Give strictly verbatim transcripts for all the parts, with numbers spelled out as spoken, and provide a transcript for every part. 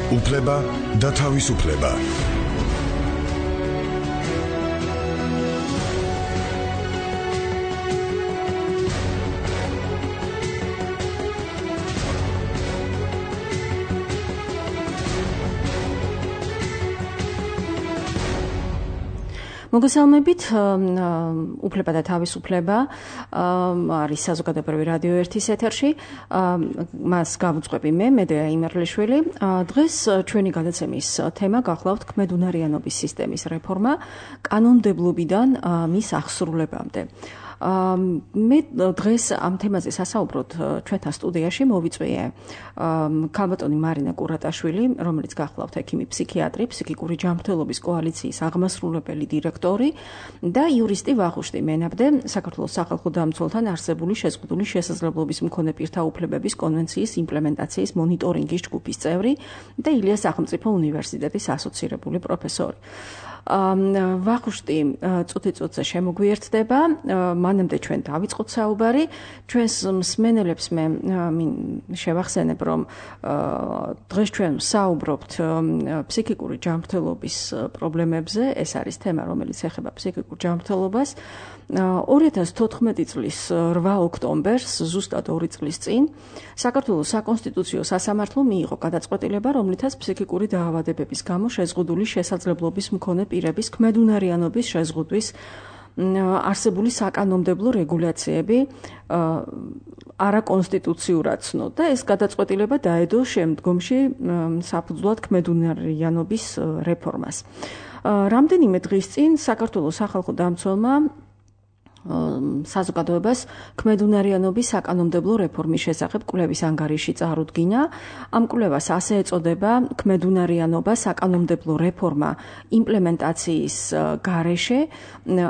უფლება და თავისუფლება. მოგესალმებით, უფლება და თავისუფლება არის საზოგადოებრივი რადიო ერთის ეთერში. მას გავუძღვები მე, მედეა იმერლიშვილი. დღეს ჩვენი გადაცემის თემა გახლავთ ქმედუნარიანობის სისტემის რეფორმა კანონმდებლობიდან მის აღსრულებამდე. მე დღეს ამ თემაზე სასაუბროდ ჩვენთან სტუდიაში მოვიწვიე ქალბატონი მარინა კურატაშვილი, რომელიც გახლავთ ექიმი ფსიქიატრი, ფსიქიკური ჯანმრთელობის კოალიციის აღმასრულებელი დირექტორი და იურისტი ვახუშტი მენაბდე, საქართველოს სახალხო დამცველთან არსებული შეზღუდული შესაძლებლობის მქონე პირთა უფლებების კონვენციის იმპლემენტაციის მონიტორინგის ჯგუფის წევრი და ილიას სახელმწიფო უნივერსიტეტის ასოცირებული პროფესორი. ვახუშტი წუთი-წუთზე შემოგვიერთდება, მანამდე ჩვენ დავიწყოთ საუბარი. ჩვენს მსმენელებს მე შევახსენებ, რომ დღეს ჩვენ საუბრობთ ფსიქიკური ჯანმრთელობის პრობლემებზე. ეს არის თემა, რომელიც ეხება ფსიქიკურ ჯანმრთელობას. ორი ათას თოთხმეტი წლის რვა ოქტომბერს, ზუსტად ორი წლის წინ, საქართველოს საკონსტიტუციო სასამართლომ მიიღო გადაწყვეტილება, რომლითაც ფსიქიკური დაავადებების გამო შეზღუდული შესაძლებლობის მქონე პირების ქმედუნარიანობის შეზღუდვის არსებული საკანონმდებლო რეგულაციები არაკონსტიტუციურად ცნო და ეს გადაწყვეტილება დაედო შემდგომში საფუძვლად ქმედუნარიანობის რეფორმას. რამდენიმე დღის წინ საქართველოს სახალხო დამცველმა საზოგადოებას ქმედუნარიანობის საკანონმდებლო რეფორმის შესახებ კვლევის ანგარიში წარუდგინა. ამ კვლევას ასე ეწოდება ქმედუნარიანობა საკანონმდებლო რეფორმა იმპლემენტაციის გარეშე.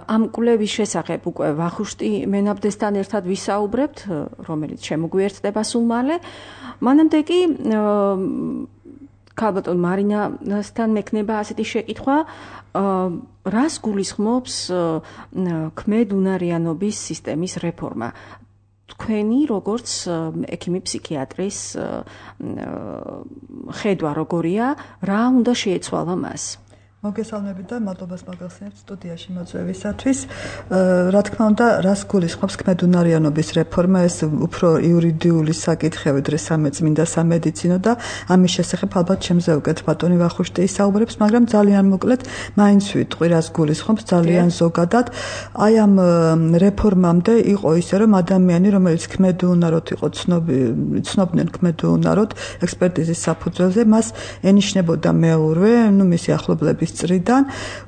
ამ კვლევის შესახებ უკვე ვახუშტი მენაბდესთან ერთად ვისაუბრებთ, რომელიც შემოგვიერთდება სულ მალე. მანამდე კი ქალბატონ მარინასთან მექნება ასეთი შეკითხვა, რას გულისხმობს ქმედუნარიანობის სისტემის რეფორმა? თქვენი როგორც ექიმი ფსიქიატრის ხედვა როგორია, რა უნდა შეეცვალა მას? მოგესალმებით და მადლობას მოგახსენებთ სტუდიაში მოწვევისათვის. რა თქმა უნდა, რას გულისხმობს ქმედუნარიანობის რეფორმა, ეს უფრო იურიდიული საკითხები, დღეს სამეწმინდა სამედიცინო და ამის შესახებ ალბათ შემზე უკეთ ბატონი ვახუშტი ისაუბრებს, მაგრამ ძალიან მოკლედ მაინც ვიტყვი, რას გულისხმობს ძალიან ზოგადად. აი ამ რეფორმამდე იყო ისე, რომ ადამიანი, რომელიც ქმედუნაროდ იყო ცნობდნენ ქმედუნაროდ ექსპერტიზის საფუძველზე, მას ენიშნებოდა მეურვე, ნუ მისი ახლობლების წრიდან,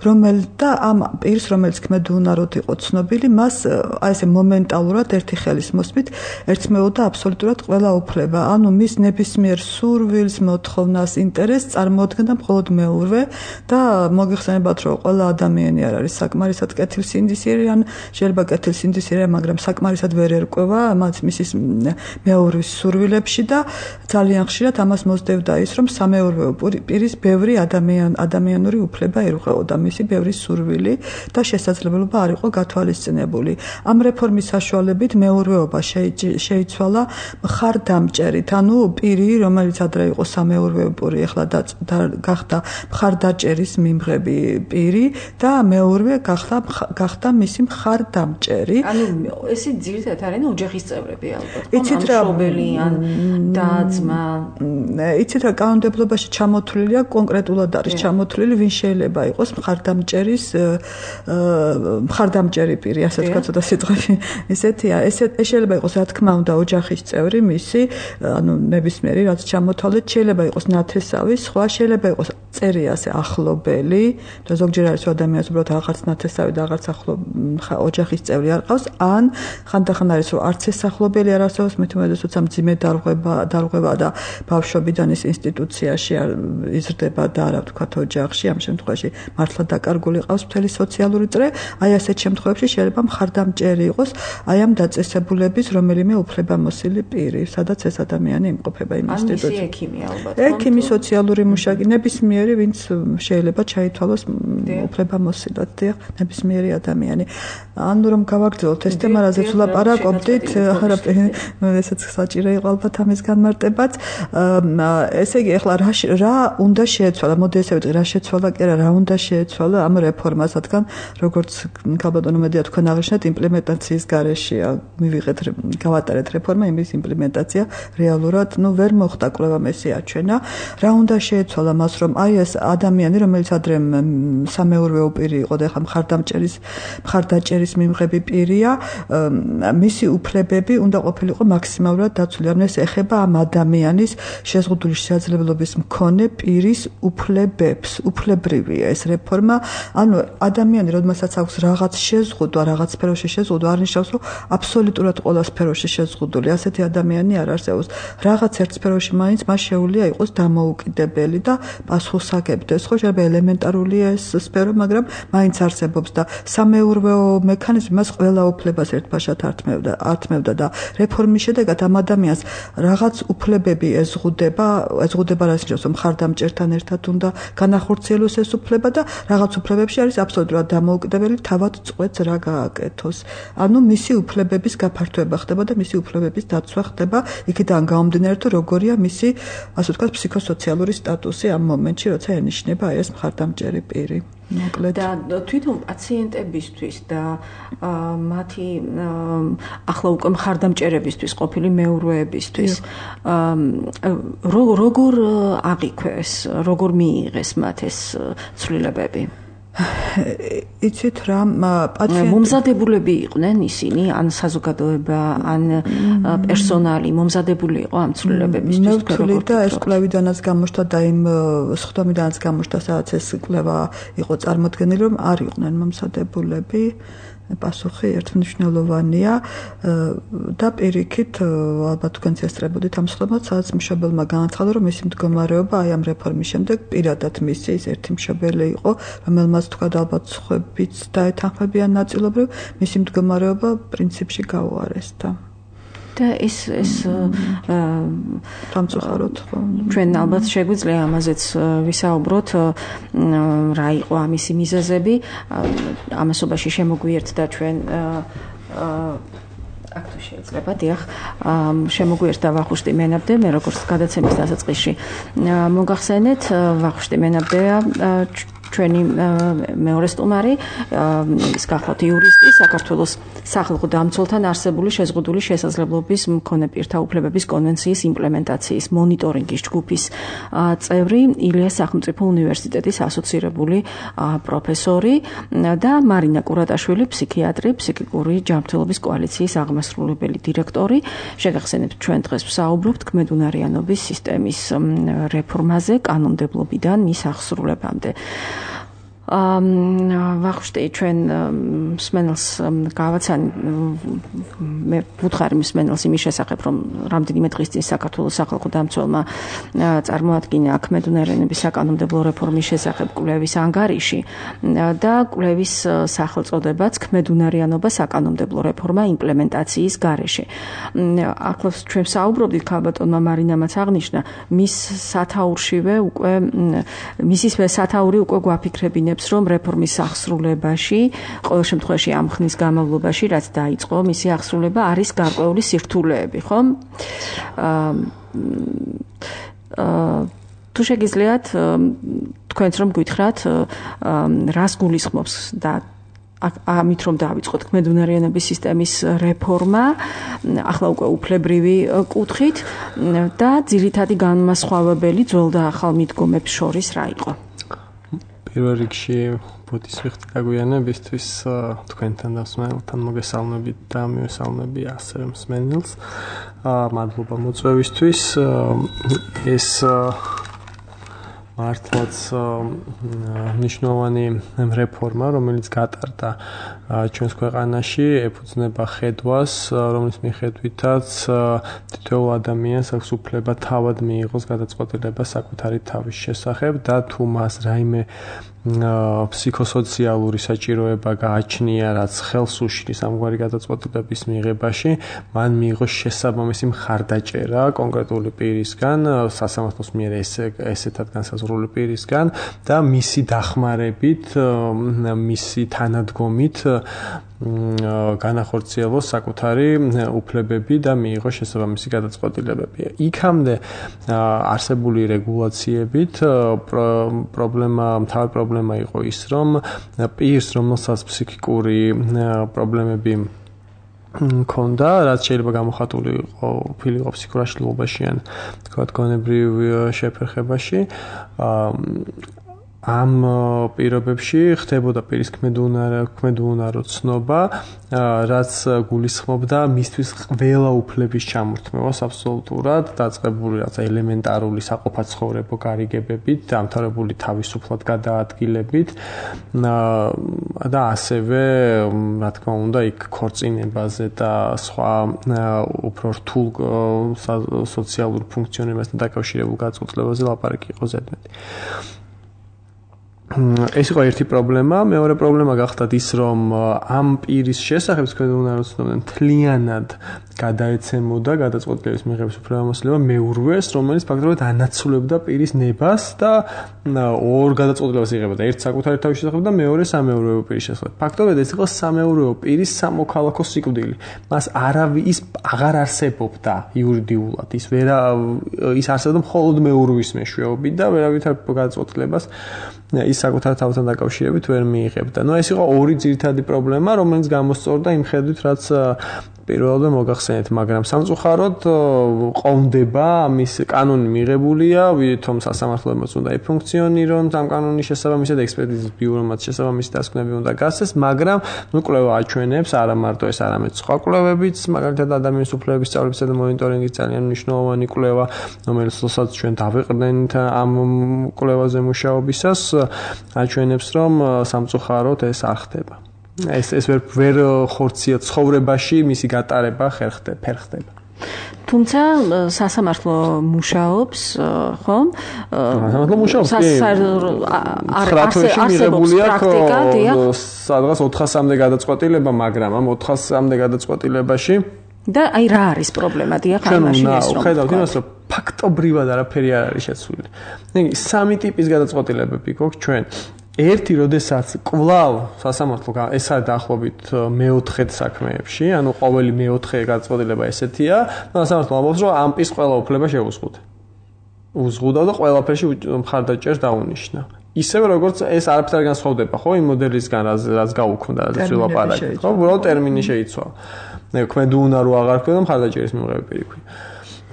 რომელიც და ამ პირს, რომელიც ქმედუნაროდ იყო ცნობილი, მას აი ესე მომენტალურად ერთი ხელის მოსმით ერთხმეოდა აბსოლუტურად ყველა უფლება. ანუ მის ნებისმიერ სურვილს, მოთხოვნას, ინტერესს წარმოადგენდა მხოლოდ მეურვე და მოგეხსენებათ, რომ ყველა ადამიანი არ არის საკმარისად კეთილსინდისიერი, ან შეიძლება კეთილსინდისიერია, მაგრამ საკმარისად ვერ ერკვევა მას მისის მეურვის სურვილებში და ძალიან ხშირად ამას მოსდევდა ის, რომ სამეურვეო პირის ბევრი ადამიან ადამიანური უფლება ერუღებოდა მისი ბევრი სურვილი და შესაძლებლობა არ იყო გათვალისწინებული. ამ რეფორმის საშუალებით მეურვეობა შეიცვალა მხარდამჭერით, ანუ პირი, რომელიც ადრე იყო სამეურვეო პირი, ახლა გახდა მხარდაჭერის მიმღები პირი და მეურვე გახდა გახდა მისი მხარდამჭერი. ანუ ესე ძირითადად არიან ოჯახის წევრები ალბათ. იცით რა, მშობელი ან და-ძმა. იცით რა, კანონმდებლობაში ჩამოთვლილია, კონკრეტულად არის ჩამოთვლილი, ვინ შეიძლება იყოს მხარდამჭერის მხარდამჭერი პირი, ასე თქვა ცოტა სიტყვაში. ესეთია, ესე შეიძლება იყოს რა თქმა უნდა ოჯახის წევრი მისი, ანუ ნებისმიერი რაც ჩამოთვალეთ, შეიძლება იყოს ნათესავი, სხვა შეიძლება იყოს წერი ასე ახლობელი, და ზოგჯერ არის ადამიანს უბრალოდ აღარც ნათესავი და აღარც ახლო ოჯახის წევრი არ ყავს, ან ხანდახან არის რომ არც ეს ახლობელი არ არსებობს, მით უმეტეს როცა მძიმე დარღვევა დარღვევა და ბავშვობიდან ის ინსტიტუციაში იზრდება და არა ვთქვათ ოჯახში, ამ შემთხვევაში მართლა დაკარგული ყავს მთელი სოციალური წრე, აი ასეთ შემთხვევებში შეიძლება მხარდამჭერი იყოს აი ამ დაწესებულების რომელიმე უფლებამოსილი პირი, სადაც ეს ადამიანი იმყოფება იმ ინსტიტუტში. ან ექიმი ალბათ. ექიმი, სოციალური მუშაკი, ნებისმიერი, ვინც შეიძლება ჩაითვალოს უფლებამოსილად, დიახ, ნებისმიერი ადამიანი. ანუ რომ გავაგრძელოთ ეს თემა, რაზეც ვლაპარაკობდით, ესეც საჭირო იყო ალბათ ამის განმარტებაც. ესე იგი, ეხლა რა უნდა შეეცვალა, მოდი ესე ვიტყვი, რა შეცვალა კი არა, რა უნდა შეეცვალა ამ რეფორმას, რადგან როგორც ქალბატონო მედია თქვენ აღნიშნეთ, იმპლემენტაციის გარეშეა მივიღეთ, გავატარეთ რეფორმა, იმის იმპლემენტაცია რეალურად, ну, ვერ მოხდა კვლევა მესი აჩვენა. რა უნდა შეეცვალა მას, რომ აი ეს ადამიანი, რომელიც ადრე სამეურვეო პირი იყო და ეხლა მხარდამჭერის მხარდაჭერის მიმღები პირია, მისი უფლებები უნდა ყოფილიყო მაქსიმალურად დაცული. ანუ ეს ეხება ამ ადამიანის შეზღუდული შესაძლებლობის მქონე პირის უფლებებს, უფლებრივია ეს რეფორმა. ანუ ადამიანი, როდესაც აქვს რაღაც შეზღუდვა, რაღაც სფეროში შეზღუდვა, არ ნიშნავს, რომ აბსოლუტურად ყველა სფეროში შეზღუდული. ასეთი ადამიანი არ არსებობს. რაღაც ერთ სფეროში მაინც მას შეუძლია იყოს დამოუკიდებელი და პასუხისმგებდეს. ხო, შეიძლება ელემენტარულია ეს სფერო, მაგრამ მაინც არსებობს და სამეურვეო მექანიზმი მას ყველა უფლებას ერთბაშად ართმევდა, ართმევდა და რეფორმის შედეგად ამ ადამიანს რაღაც უფლებები ეზღუდება, ეზღუდება რაც ნიშნავს, რომ მხარდამჭერთან ერთად უნდა განახორციელოს ეს უფლება და რაღაც უფლებებში არის აბსოლუტურად დამოუკიდებელი, თავად წყვეტს რა გააკეთოს. ანუ მისი უფლებების გაფართოება ხდება და მისი უფლებების დაცვა ხდება, იქიდან გამომდინარე, თუ როგორია მისი, ასე ვთქვათ, ფსიქოსოციალური სტატუსი ამ მომენტში, როცა ენიშნება ეს მხარდამჭერი პირი. მოკლედ და თვითონ პაციენტებისთვის და მათი ახლა უკვე მხარდამჭერებისთვის, ყოფილი მეურვეებისთვის როგორ აღიქვეს, როგორ მიიღეს მათ ეს ცვლილებები? იცით რა, პაციენტები მომზადებულები იყვნენ ისინი, ან საზოგადოება, ან პერსონალი მომზადებული იყო ამ ცვლილებებისთვის. მე ვთვლი და ეს კვლევიდანაც გამოჩნდა და იმ სხდომიდანაც გამოჩნდა, სადაც ეს კვლევა იყო წარმოდგენილი, რომ არ იყვნენ მომზადებულები. პასუხი ერთმნიშვნელოვანია და პირიქით ალბათ თქვენც ესწრებოდით ამ სხდომას, სადაც მშობელმა განაცხადა, რომ მისი მდგომარეობა აი ამ რეფორმის შემდეგ პირადად მისი ის ერთი მშობელი იყო, რომელმაც თქვა ალბათ სხვებიც დაეთანხმებიან ნაწილობრივ, მისი მდგომარეობა პრინციპში გაუარესდა. და ეს ეს დამწუხაროთ ხო ჩვენ ალბათ შეგვიძლია ამაზეც ვისაუბროთ რა იყო ამისი მიზეზები ამასობაში შემოგვიერთდა ჩვენ აქ თუ შეიძლება დიახ შემოგვიერთდა ვახუშტი მენაბდე მე როგორც გადაცემის დასაწყისში მოგახსენეთ ვახუშტი მენაბდეა ჩვენი მეორე სტუმარი ის გახლავთ იურისტი საქართველოს სახალხო დამცველთან არსებული შეზღუდული შესაძლებლობის მქონე პირთა უფლებების კონვენციის იმპლემენტაციის მონიტორინგის ჯგუფის წევრი ილიას სახელმწიფო უნივერსიტეტის ასოცირებული პროფესორი და მარინა კურატაშვილი ფსიქიატრი ფსიქიკური ჯანმრთელობის კოალიციის აღმასრულებელი დირექტორი შეგახსენებთ ჩვენ დღეს ვსაუბრობთ ქმედუნარიანობის სისტემის რეფორმაზე კანონმდებლობიდან მის აღსრულებამდე ვახუშტი ჩვენ მსმენელს გავაცანი მე ვუთხარი მსმენელს იმის შესახებ რომ რამდენიმე დღის წინ საქართველოს სახალხო დამცველმა წარმოადგინა ქმედუნარიანობის საკანონმდებლო რეფორმის შესახებ კვლევის ანგარიში და კვლევის სახელწოდებაც ქმედუნარიანობა საკანონმდებლო რეფორმა იმპლემენტაციის გარეშე ახლავს ჩვენ საუბრობდით ქალბატონმა მარინამაც აღნიშნა მის სათაურშივე უკვე მისის სათაური უკვე გვაფიქრებინებს რომ რეფორმის აღსრულებაში, ყოველ შემთხვევაში ამ ხნის განმავლობაში, რაც დაიწყო, მისი აღსრულება არის გარკვეული სირთულეები, ხო? აა თუ შეგიძლიათ თქვენც რომ გითხრათ, რას გულისხმობს და ამით რომ დავიწყოთ ქმედუნარიანობის სისტემის რეფორმა, ახლა უკვე უფლებრივი კუთხით და ძირითადი განმასხვავებელი ძველ და ახალ მიდგომებს შორის რა იყო? პირველ რიგში ბოდის ვიხდი გაგვიანებისთვის თქვენთან და მსმენელთან მოგესალმებით და მივესალმები ასევე მსმენელს. მადლობა მოწვევისთვის. ეს მართლაც მნიშვნელოვანი რეფორმა, რომელიც გატარდა ჩვენს ქვეყანაში, ეფუძნება ხედვას, რომლის მიხედვითაც თითოეულ ადამიანს აქვს უფლება თავად მიიღოს გადაწყვეტილება საკუთარი თავის შესახებ და თუ მას რაიმე ფსიქოსოციალური საჭიროება გააჩნია, რაც ხელს უშლის ამგვარი გადაწყვეტილების მიღებაში, მან მიიღო შესაბამისი მხარდაჭერა კონკრეტული პირისგან, სასამართლოს მიერ ესეთად განსაზღვრული პირისგან და მისი დახმარებით, მისი თანადგომით განახორციელოს საკუთარი უფლებები და მიიღო შესაბამისი გადაწყვეტილებები. იქამდე არსებული რეგულაციებით პრობლემა, მთავარი პრობლემა იყო ის, რომ პირს, რომელსაც ფსიქიკური პრობლემები ქონდა, რაც შეიძლება გამოხატული იყო ფილიყო ფსიქურ აშლილობაში ან თქვათ გონებრივ შეფერხებაში, ამ პირობებში ხდებოდა პირის ქმედუნარო ცნობა, რაც გულისხმობდა მისთვის ყველა უფლების ჩამორთმევას აბსოლუტურად, დაწყებული რაც ელემენტარული საყოფაცხოვრებო გარიგებებით, დამთავრებული თავისუფლად გადაადგილებით და ასევე, რა თქმა უნდა, იქ ქორწინებაზე და სხვა უფრო რთულ სოციალურ ფუნქციონირებასთან დაკავშირებულ გადაწყვეტილებაზე ლაპარაკი იყო ზედმეტი. ეს იყო ერთი პრობლემა, მეორე პრობლემა გახდათ ის, რომ ამ პირის შესახებ თქვენ უნდა როცნობდნენ მთლიანად გადაეცემოდა გადაწყვეტილების მიღების უფლებამოსილება მეურვეს, რომელიც ფაქტობრივად ანაცვლებდა პირის ნებას და ორ გადაწყვეტილებას იღებდა, ერთ საკუთარი თავის შესახებ და მეორე სამეურვეო პირის შესახებ. ფაქტობრივად ეს იყო სამეურვეო პირის სამოქალაქო სიკვდილი. მას არავის ის აღარ არსებობდა იურიდიულად, ის ვერა ის არსებობდა მხოლოდ მეურვის მეშვეობით და ვერავითარ გადაწყვეტილებას ის საკუთარ თავთან დაკავშირებით ვერ მიიღებდა. ნუ ეს იყო ორი ძირითადი პრობლემა, რომელიც გამოსწორდა იმ ხედვით, რაც პირველად მოგახსენეთ, მაგრამ სამწუხაროდ ყოვდება ამის კანონი მიღებულია, თუმცა სასამართლოებმაც უნდა ეფუნქციონირონ ამ კანონის შესაბამისად, ექსპერტიზის ბიურომაც შესაბამისი დასკვნები უნდა გასცეს, მაგრამ ნუ კვლევა აჩვენებს, არა მარტო ეს, არამედ სხვა კვლევებიც, მაგალითად ადამიანის უფლებების სწავლებისა და მონიტორინგის ძალიან მნიშვნელოვანი კვლევა, რომელსაც ჩვენ დავეყრდნით ამ კვლევაზე მუშაობისას, აჩვენებს, რომ სამწუხაროდ ეს არ ხდება. ეს ეს ვერ ვერ ხორცია ცხოვრებაში მისი გატარება ხერხდება, ფერხდება. თუმცა სასამართლო მუშაობს, ხო? სასამართლო მუშაობს. არსებობს პრაქტიკა, დიახ. სადღაც ოთხასამდე გადაწყვეტილება, მაგრამ ამ ოთხასამდე გადაწყვეტილებაში და აი რა არის პრობლემა, დიახ, ამაში ეს რომ ხედავთ იმას, რომ ფაქტობრივად არაფერი არ არის შეცვლილი. ნეგი სამი ტიპის გადაწყვეტილებები გვაქვს ჩვენ. ერთი, როდესაც კვლავ სასამართლო ეს არის დაახლოებით მეოთხე საქმეებში, ანუ ყოველი მეოთხე გადაწყვეტილება ესეთია, სასამართლო ამბობს, რომ ამ პირს ყველა უფლება შეუზღუდა. უზღუდა და ყველაფერში მხარდაჭერს დაუნიშნა. ისევე როგორც ეს არაფერი არ განსხვავდება, ხო, იმ მოდელისგან, რაც გაუქმდა, რაც ვილაპარაკეთ, ხო, უბრალოდ ტერმინი შეიცვალა. ქმედუნა რო აღარ ქონდა მხარდაჭერის მიღება პირიქი.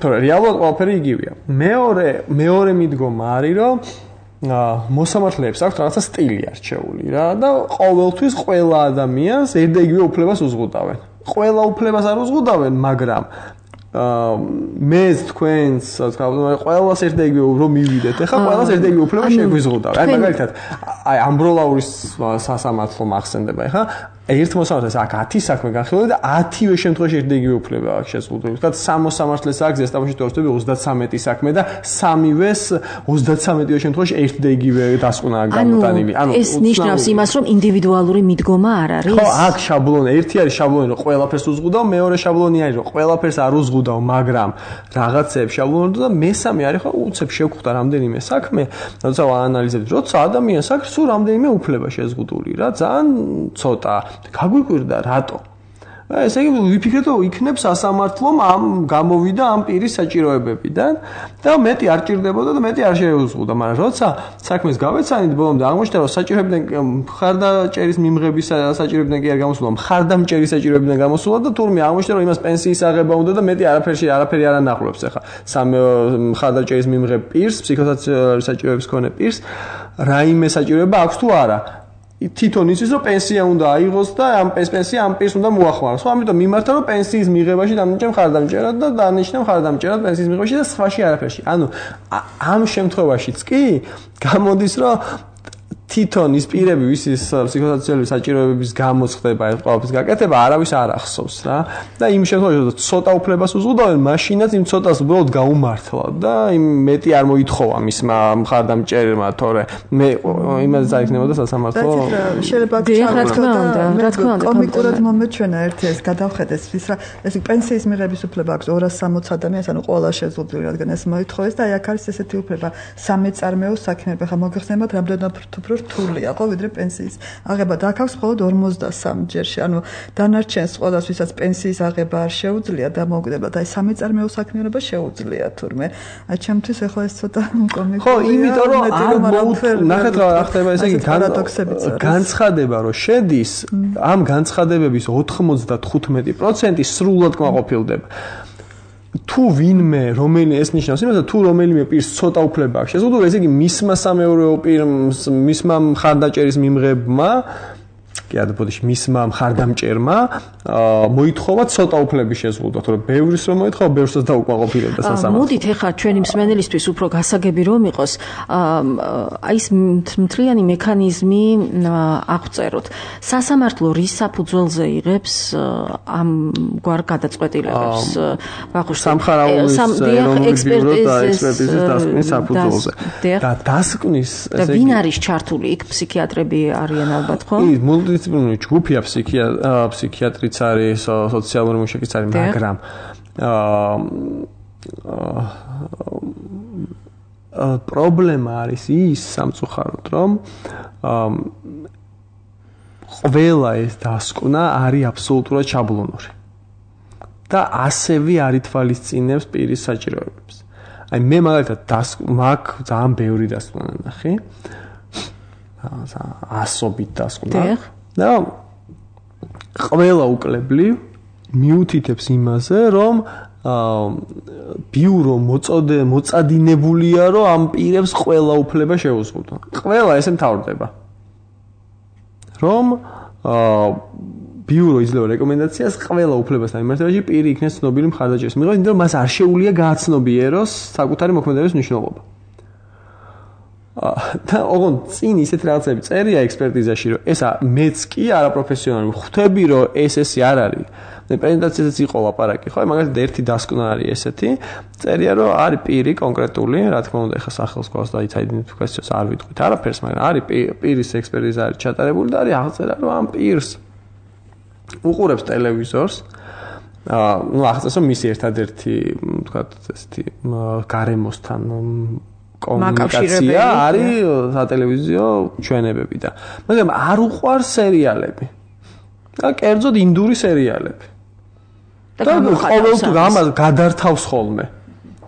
თორე რეალურად ყველაფერი იგივეა. მეორე, მეორე მიდგომა არის, რომ მოსამართლეებს აქვს რაღაცა სტილი არჩეული რა და ყოველთვის ყველა ადამიანს ერთდაიგივე უფლებას უზღუდავენ. ყველა უფლებას არ უზღუდავენ, მაგრამ მე თქვენს ყველას ერთდაიგივე რომ მივიდეთ, ეხლა ყველას ერთდაიგივე უფლება შეგვიზღუდავ. აი მაგალითად, აი ამბროლაურის სასამართლო მახსენდება, ეხლა ერთ მოსამართლეს აქ ათი საქმე განხილულია და ათივე შემთხვევაში ერთდაიგივე უფლება აქვს შეზღუდული. თქვათ სამ მოსამართლეს აქვს ზესტაფონში თორსტები ოცდათსამეტი საქმე და სამივეს ოცდათსამეტივე შემთხვევაში ერთდაიგივე დასკვნა გამოტანილი. ანუ ეს ნიშნავს იმას, რომ ინდივიდუალური მიდგომა არ არის. ხო, აქ შაბლონი, ერთი არის შაბლონი, რომ ყველაფერს უზღუდავ, მეორე შაბლონი არის, რომ ყველაფერს არ უზღუდავ, მაგრამ რაღაცეებს შაბლონი და მესამე არის, ხო, უცებ შევხვდა რამდენიმე საქმე, როცა ვაანალიზებთ, როცა ადამიანს აქვს სულ რამდენიმე უფლება შეზღუდული რა, ძალიან ცოტა გაგვიკვირდა რატო? ესე იგი ვიფიქრეთ, რომ იქნებ სასამართლომ ამ გამოვიდა ამ პირის საჭიროებებიდან და მეტი არ ჭირდებოდა და მეტი არ შეუზღუდა, მაგრამ როცა საქმეს გავეცანით ბოლომდე აღმოჩნდა, რომ საჭიროებიდან მხარდაჭერის მიმღების საჭიროებიდან კი არ გამოსულა, მხარდამჭერის საჭიროებიდან გამოსულა და თურმე აღმოჩნდა, რომ იმას პენსიის აღება უნდა და მეტი არაფერში არაფერი არ ანახლებს ახლა. სამ მხარდაჭერის მიმღებ პირს, ფსიქოსოციალური საჭიროების მქონე პირს, რაიმე საჭიროება აქვს თუ არა? თვითონ იცის, რომ პენსია უნდა აიღოს და ამ პენსია ამ პირს უნდა მოახმაროს. ხო, ამიტომ მიმართა, რომ პენსიის მიღებაში დამიჯერა მხარდამჭერად და დანიშნა მხარდამჭერად პენსიის მიღებაში და სხვაში არაფერში. ანუ ამ შემთხვევაშიც კი გამოდის, რომ თვითონ ის პირები ვისის ფსიქოსოციალური საჭიროებების გამო ხდება ეს ყველაფრის გაკეთება არავის არ ახსოვს რა და იმ შემთხვევაში რომ ცოტა უფლებას უზღუდავენ მაშინაც იმ ცოტას უბრალოდ გაუმართლა და იმ მეტი არ მოითხოვა მისმა მხარდამჭერმა თორე მე იმაზე წაიქნებოდა სასამართლო შეიძლება რა თქმა უნდა რა თქმა უნდა კომიკურად მომეჩვენა ერთი ეს გადავხედეს ის რა ეს პენსიის მიღების უფლება აქვს ორას სამოცი ადამიანს ანუ ყველა შეზღუდული რადგან ეს მოითხოვეს და აი აქ არის ესეთი უფლება სამეწარმეო საქმეები ხა მოგეხსენებათ რამდენად უფრო რთულია ხო ვიდრე პენსიის აღება და აქ აქვს მხოლოდ ორმოცდასამი ჯერში ანუ დანარჩენს ყველას ვისაც პენსიის აღება არ შეუძლია და მოგდება და აი სამეწარმეო საქმიანობა შეუძლია თურმე აი ჩემთვის ახლა ეს ცოტა კომიკურია ხო იმიტომ რომ არ ნახეთ რა ხდება ესე იგი განცხადება რომ შედის ამ განცხადებების ოთხმოცდათხუთმეტი პროცენტი სრულად კმაყოფილდება თუ ვინმე რომელი ეს ნიშნავს იმას თუ რომელიმე პირს ცოტა უფლება აქვს შეზღუდული ესე იგი მისმა სამეურვეო პირს მისმა მხარდაჭერის მიმღებმა კი არა ბოდიში მისმა მხარდამჭერმა მოითხოვა ცოტა უფლების შეზღუდვა თორე ბევრის რომ მოითხოვა ბევრსაც დაუკმაყოფილებდა სასამართლო მოდით ეხლა ჩვენი მსმენელისთვის უფრო გასაგები რომ იყოს აი ეს მთლიანი მექანიზმი აღწეროთ სასამართლო რის საფუძველზე იღებს ამ გვარ გადაწყვეტილებებს ვახუშტი სამხარაულის ეროვნული ბიურო და ექსპერტიზის დასკვნის საფუძველზე და დასკვნის ესე იგი ვინ არის ჩართული იქ ფსიქიატრები არიან ალბათ ხო მულტიდისციპლინარული ჯგუფია ფსიქიატრიც არის სოციალური მუშაკიც არის მაგრამ პრობლემა არის ის სამწუხაროდ რომ ყველა ეს დასკვნა არის აბსოლუტურად შაბლონური და ასევე არ ითვალისწინებს პირის საჭიროებებს აი მე მაგალითად მაგ ძალიან ბევრი დასკვნა ნახე ასობით დასკვნა და ყველა უკლებლივ მიუთითებს იმაზე რომ ბიურო მოწოდე მოწადინებულია რომ ამ პირებს ყველა უფლება შეუზღუდვა ყველა ესე მთავრდება რომ ბიურო იძლევა რეკომენდაციას ყველა უფლებასთან მიმართებაში პირი იქნეს ცნობილი მხარდაჭერის მიღება იმიტომ რომ მას არ შეუძლია გააცნობიეროს საკუთარი მოქმედების მნიშვნელობა და ოღონდ წინ ისეთ რაღაცები წერია ექსპერტიზაში რომ ესა მეც კი არაპროფესიონალი ხვდები რომ ეს ესე არ არის მე პრეზენტაციაზეც იყო ლაპარაკი ხო მაგალითად ერთი დასკვნა არის ესეთი წერია რომ არის პირი კონკრეტული რა თქმა უნდა ეხა სახელს გვაქვს და ის აიდენტიფიკაციას არ ვიტყვით არაფერს მაგრამ არის პირის ექსპერტიზა არის ჩატარებული და არის აღწერა რომ ამ პირს უყურებს ტელევიზორს აა ნუ აღწერს რომ მისი ერთადერთი ვთქვათ ესეთი გარემოსთან კომუნიკაცია არის სატელევიზიო ჩვენებები და მაგრამ არ უყვარს სერიალები და კერძოდ ინდური სერიალები და ყოველთვის ამას გადართავს ხოლმე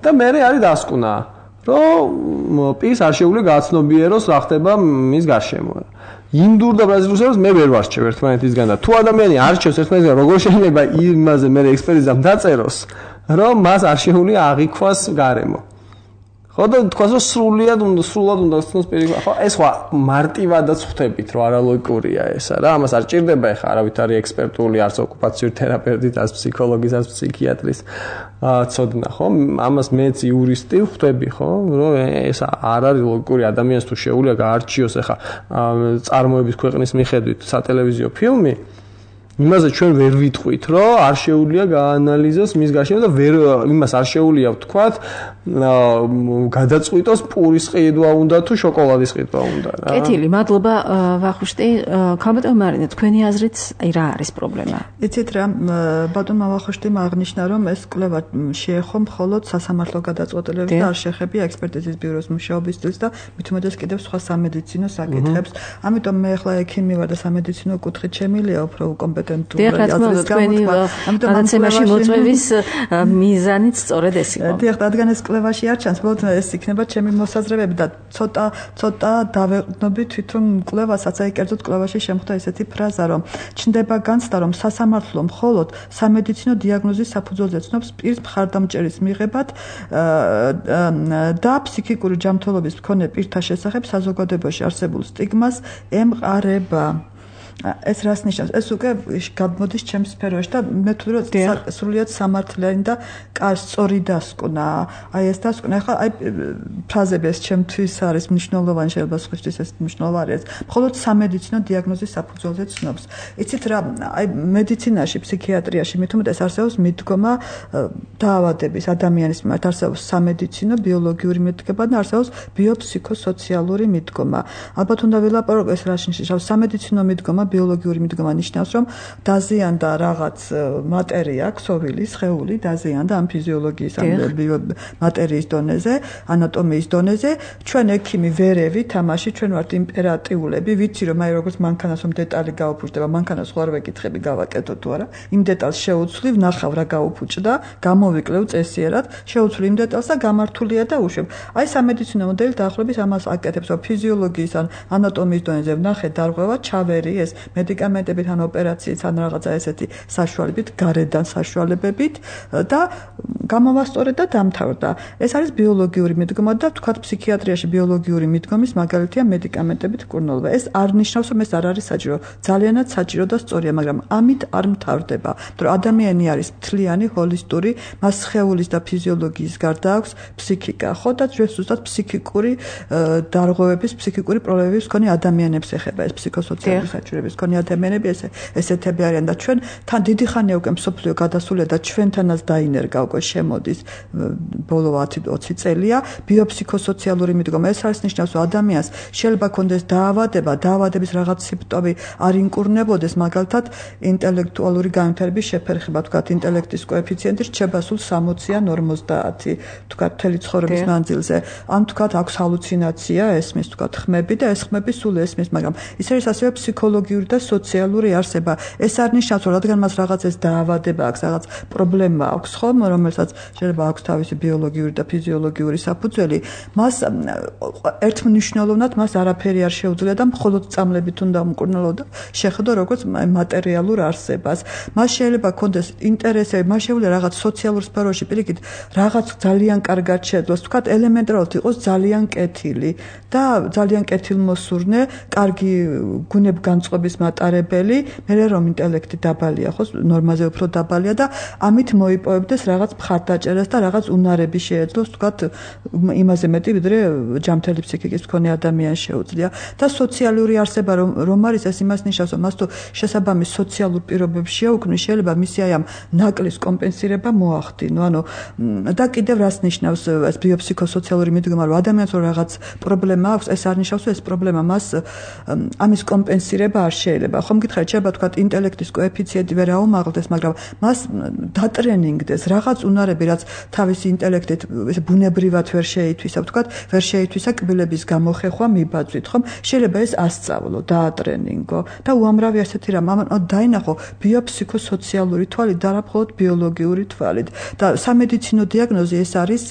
და მე არის დასკვნა რომ პირს არ შეუძლია გააცნობიეროს რა ხდება მის გარშემო ინდურ და ბრაზილურს მე ვერ ვარჩევ ერთმანეთისგან და თუ ადამიანი არჩევს ერთმანეთისგან როგორ შეიძლება იმაზე მე ექსპერტიზამ დაწეროს რომ მას არ შეუძლია აღიქვას გარემო ხო და თქვას რომ სრულიად უნდა სრულად უნდა გასცნოს პირი ხო ეს ხო მარტივადაც ხვდებით რომ არალოგიკურია ესა რა ამას არ ჭირდება ეხა არავითარი ექსპერტული არც ოკუპაციური თერაპევტის არც ფსიქოლოგის არც ფსიქიატრის ცოდნა ხო ამას მეც იურისტი ხვდები ხო რომ ეს არ არის ლოგიკური ადამიანს თუ შეუძლია გაარჩიოს ეხა წარმოების ქვეყნის მიხედვით სატელევიზიო ფილმი იმაზე ჩვენ ვერ ვიტყვით რომ არ შეუძლია გაანალიზოს მის გარშემო და ვერ იმას არ შეუძლია ვთქვათ გადაწყვიტოს პურის ყიდვა უნდა თუ შოკოლადის ყიდვა უნდა რა. კეთილი, მადლობა ვახუშტი. ქალბატონ მარინა, თქვენი აზრით აი რა არის პრობლემა? იცით რა, ბატონმა ვახუშტიმ აღნიშნა რომ ეს კვლევა შეეხო მხოლოდ სასამართლო გადაწყვეტილებას და არ შეეხებია ექსპერტიზის ბიუროს მუშაობის სტილს და მით უმეტეს კიდევ სხვა სამედიცინო საკითხებს. ამიტომ მე ახლა ექიმი ვარ და სამედიცინო კუთხით შემილია უფრო კომპეტენტური აზრის გამოთქვა. გადაცემაში მოწვევის მიზანიც სწორედ ეს იყო. დიახ, რადგან ეს კვლევაში არ ჩანს, მხოლოდ ეს იქნება ჩემი მოსაზრებები და ცოტა ცოტა დავეყნობი თვითონ კვლევასაც, აი კერძოდ კვლევაში შემხვდა ესეთი ფრაზა, რომ ჩნდება განცდა, რომ სასამართლო მხოლოდ სამედიცინო დიაგნოზის საფუძველზე ცნობს პირს მხარდამჭერის მიღებად და ფსიქიკური ჯანმრთელობის მქონე პირთა შესახებ საზოგადოებაში არსებულ სტიგმას ემყარება. ეს რას ნიშნავს? ეს უკვე გამოდის ჩემს სფეროში და მე თვლი რომ სრულიად სამართლიანი და სწორი დასკვნა. აი ეს დასკვნა ახლა აი ფრაზები ეს ჩემთვის არის მნიშვნელოვანი, შეიძლება სხვისთვის ეს მნიშვნელოვანი არის. მხოლოდ სამედიცინო დიაგნოზის საფუძველზე ცნობს. იცით რა, აი მედიცინაში, ფსიქიატრიაში მით უმეტეს არსებობს მიდგომა დაავადების ადამიანის მიმართ, არსებობს სამედიცინო ბიოლოგიური მიდგომა და არსებობს ბიოფსიქოსოციალური მიდგომა. ალბათ უნდა ვილაპარაკო ეს რა ნიშნავს? სამედიცინო მიდგომა, ბიოლოგიური მიდგომა ნიშნავს, რომ დაზიანდა რაღაც მატერია, ქსოვილი, სხეული დაზიანდა ამ ფიზიოლოგიის ამ მატერიის დონეზე, ანატომიის დონეზე. ჩვენ ექიმი ვერევით თამაში, ჩვენ ვართ იმპერატიულები, ვიცი რომ აი როგორც მანქანას რომ დეტალი გაუფუჭდება, მანქანას ხო არ ვეკითხები გავაკეთო თუ არა. იმ დეტალს შეუცვლი, ვნახავ რა გაუფუჭდა, გამოვიკლევ წესიერად, შეუცვლი იმ დეტალს და გამართულია და უშვებ. აი სამედიცინო მოდელი დაახლოებით ამას აკეთებს, რომ ფიზიოლოგიის ან ანატომიის დონეზე ვნახე დარღვევა, ჩავერი ეს მედიკამენტებით ან ოპერაციით ან რაღაცა ესეთი საშუალებით, გარედან საშუალებებით და გამოვასწორე და დამთავრდა. ეს არის ბიოლოგიური მიდგომა და თქვათ ფსიქიატრიაში ბიოლოგიური მიდგომის მაგალითია მედიკამენტებით მკურნალობა. ეს არ ნიშნავს, რომ ეს არ არის საჭირო. ძალიანად საჭირო და სწორია, მაგრამ ამით არ მთავრდება. მაგრამ ადამიანი არის მთლიანი, ჰოლისტური, მას სხეულის და ფიზიოლოგიის გარდა აქვს ფსიქიკა, ხო და ჩვენ ზუსტად ფსიქიკური დარღვევების, ფსიქიკური პრობლემების მქონე ადამიანებს ეხება ეს ფსიქოსოციალური საჭიროების მქონე ადამიანები ეს ესეთები არიან და ჩვენ თან დიდი ხანია უკვე მსოფლიო გადასულია და ჩვენთანაც დაინერგა უკვე შემოდის ბოლო ოცი წელია ბიოფსიქოსოციალური მიდგომა. ეს არის ნიშნავს, რომ ადამიანს შეიძლება ქონდეს დაავადება, დაავადების რაღაც სიმპტომი არ ინკურნებოდეს, მაგალითად ინტელექტუალური განვითარების შეფერხება, თქვათ ინტელექტის კოეფიციენტი რჩება სულ სამოცი ან ორმოცდაათი, თქვათ მთელი ცხოვრების მანძილზე. ან თქვათ აქვს ჰალუცინაცია, ესმის თქვათ ხმები და ეს ხმები სულ ესმის, მაგრამ ის არის ასევე ფსიქოლოგიური და სოციალური არსება. ეს არ ნიშნავს, რომ რადგან მას რაღაც ეს დაავადება აქვს, რაღაც პრობლემა აქვს, ხომ, რომელსაც შეიძლება აქვს თავისი ბიოლოგიური და ფიზიოლოგიური საფუძველი, მას ერთმნიშვნელოვნად მას არაფერი არ შეუძლია და მხოლოდ წამლებით უნდა უმკურნალოდა შეხედო როგორც მატერიალურ არსებას. მას შეიძლება ქონდეს ინტერესები, მას შეუძლია რაღაც სოციალურ სფეროში პირიქით რაღაც ძალიან კარგად შეძლოს, თქვათ ელემენტარულად იყოს ძალიან კეთილი და ძალიან კეთილმოსურნე, კარგი გუნებგანწყობის მატარებელი, მერე რომ ინტელექტი დაბალია, ხო, ნორმაზე უფრო დაბალია და ამით მოიპოვებდეს რაღაც მხარდაჭერას და რაღაც უნარები შეეძლოს, თქვათ იმაზე მეტი, ვიდრე ჯანმრთელი ფსიქიკის მქონე ადამიანს შეუძლია და სოციალური არსება რომ რომ არის ეს იმას ნიშნავს, რომ მას თუ შესაბამის სოციალურ პირობებს შეუქმნის, შეიძლება მისი აი ამ ნაკლის კომპენსირება მოახდინო. ანუ და კიდევ რას ნიშნავს ეს ბიოფსიქოსოციალური მიდგომა, რომ ადამიანს რომ რაღაც პრობლემა აქვს, ეს არ ნიშნავს, რომ ეს პრობლემა მას ამის კომპენსირება არ შეიძლება. ხომ გითხარით, შეიძლება თქვა ინტელექტის კოეფიციენტი ვერ აუმაღლდეს, მაგრამ მას დატრენინგდეს რაღაც უნარები, რაც თავისი ინტელექტით ესე ბუნებრივად ვერ შეითვისა, თქვა ვერ შეითვისა კბილების გამოხეხვა მიბაძვით, ხომ? შეიძლება ეს ასწავლო, დაატრენინგო და უამრავი ასეთი რამ, ანუ დაინახო ბიოფსიქოსოციალური თვალით და არა მხოლოდ ბიოლოგიური თვალით. და სამედიცინო დიაგნოზი ეს არის,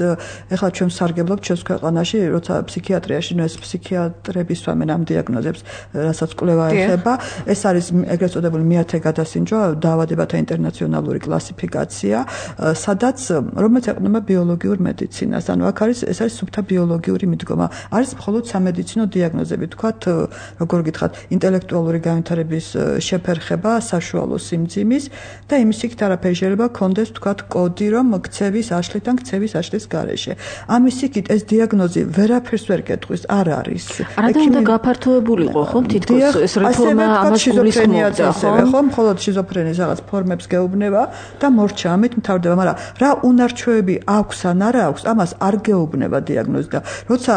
ეხლა ჩვენ სარგებლობთ ჩვენს ქვეყანაში, როცა ფსიქიატრიაში, ნუ ეს ფსიქიატრები სვამენ ამ დიაგნოზებს, რასაც კვლევა ეხება, ეს არის ეგრეთ წოდებული მეათე გადასინჯვა დაავადებათა ინტერნაციონალური კლასიფიკაცია, სადაც რომელიც ეყრდნობა ბიოლოგიურ მედიცინას. ანუ აქ არის ეს არის სუფთა ბიოლოგიური მიდგომა. არის მხოლოდ სამედიცინო დიაგნოზები, თქვათ, როგორ გითხრათ, ინტელექტუალური განვითარების შეფერხება, საშუალო სიმძიმის და იმის იქით არაფერი შეიძლება კონდეს, თქვათ, კოდი, რომ ქცევის აშლით ან ქცევის აშლის გარეშე. ამის იქით ეს დიაგნოზი ვერაფერს ვერ კეტყვის, არ არის. არადა უნდა გაფართოებულიყო, ხო, თითქოს ეს რეფორმა ამას გულისხმობდა, ხო, მხოლოდ შიზოფრენიის რაღაც ფორმებს გეუბნება და მორჩა ამით მთავრდება, მაგრამ რა უნარჩვევები აქვს ან არა აქვს, ამას არ გეუბნება დიაგნოზი და როცა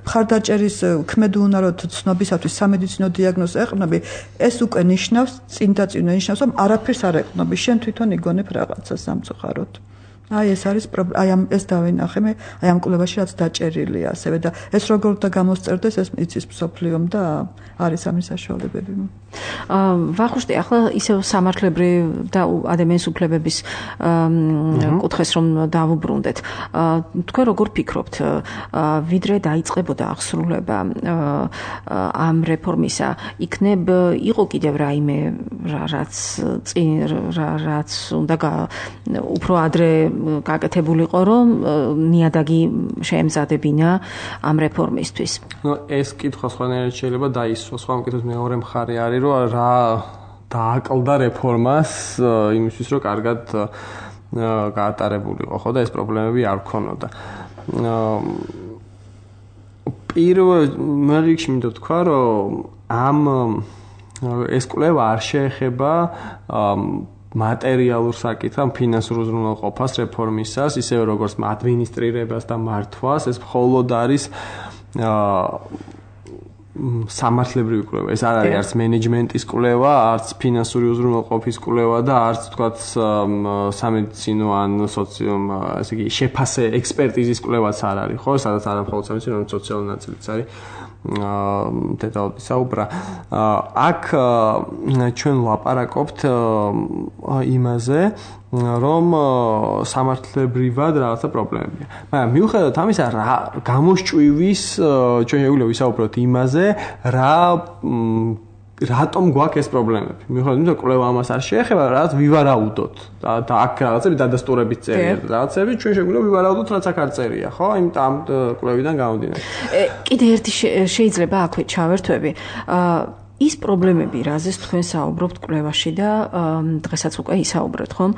მხარდაჭერის ქმედუნაროდ ცნობისათვის სამედიცინო დიაგნოზს ეყრდნობი, ეს უკვე ნიშნავს, წინ და წინ ნიშნავს, რომ არაფერს არ ეყრდნობი, შენ თვითონ იგონებ რაღაცას სამწუხაროდ. აი ეს არის აი ამ ეს დავინახე მე აი ამ კვლევაში რაც დაჭერილია ასევე და ეს როგორ და გამოსწერდეს ეს იცის მსოფლიომ და არის ამის საშუალებები. აა ვახუშტი ახლა ისევ სამართლებრივ და ადამიანის უფლებების კუთხეს რომ დავუბრუნდეთ. თქვენ როგორ ფიქრობთ, ვიდრე დაიწყებოდა აღსრულება ამ რეფორმისა, იქნებ იყო კიდევ რაიმე რაც წინ რაც უნდა უფრო ადრე გაკეთებულიყო, რომ ნიადაგი შეემზადებინა ამ რეფორმისთვის. ნუ ეს კითხვა სხვანაირად შეიძლება დაისვას. სხვა მკითხვის მეორე მხარე არის, რომ რა დააკლდა რეფორმას იმისთვის, რომ კარგად გაატარებულიყო, ხო და ეს პრობლემები არ ქონოდა. პირველ რიგში მინდა თქვა, რომ ამ ეს კვლევა არ შეეხება მატერიალურ საკითხს, ფინანსურ უზრუნველყოფას რეფორმისას, ისევე როგორც ადმინისტრირებას და მართვას, ეს მხოლოდ არის სამართლებრივი კვლევა. ეს არ არის არც მენეჯმენტის კვლევა, არც ფინანსური უზრუნველყოფის კვლევა და არც თქვათ სამედიცინო ან სოციო, ესე იგი, შეფასე ექსპერტიზის კვლევაც არ არის, ხო? სადაც არა მხოლოდ სამედიცინო, არამედ სოციალური ნაწილიც არის. დეტალები საუბრა. აქ ჩვენ ვლაპარაკობთ იმაზე, რომ სამართლებრივად რაღაცა პრობლემებია. მაგრამ მიუხედავად ამისა, რა გამოსჭვივის ჩვენ შეგვიძლია ვისაუბროთ იმაზე, რა რატომ გვაქვს ეს პრობლემები. მიუხედავად იმისა, კვლევა ამას არ შეეხება, რაღაც ვივარაუდოთ. და აქ რაღაცები დადასტურებით წერია. რაღაცები ჩვენ შეგვიძლია ვივარაუდოთ, რაც აქ არ წერია, ხო? იმიტომ ამ კვლევიდან გამომდინარე. კიდე ერთი შეიძლება აქვე ჩავერთვები. ის პრობლემები, რაზეც თქვენ საუბრობთ კვლევაში და დღესაც უკვე ისაუბრეთ, ხომ?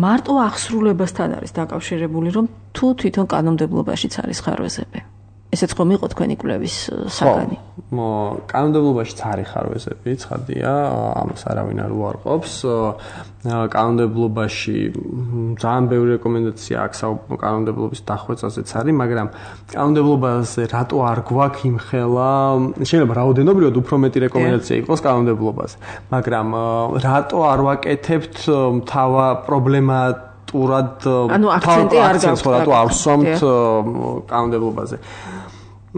მარტო აღსრულებასთან არის დაკავშირებული, რომ თუ თვითონ კანონმდებლობაშიც არის ხარვეზები. ესეც ხომ იყო თქვენი კვლევის საგანი? ხო, კანონმდებლობაშიც არის ხარვეზები, ცხადია, ამას არავინ არ უარყოფს. კანონმდებლობაში ძალიან ბევრი რეკომენდაცია აქვს კანონმდებლობის დახვეწაზეც არის, მაგრამ კანონმდებლობაზე რატო არ გვაქვს იმხელა, შეიძლება რაოდენობრივად უფრო მეტი რეკომენდაცია იყოს კანონმდებლობაზე, მაგრამ რატო არ ვაკეთებთ თავა პრობლემა ტურად ანუ აქცენტი არ გაქვს რატო არ ვსვამთ კანონმდებლობაზე.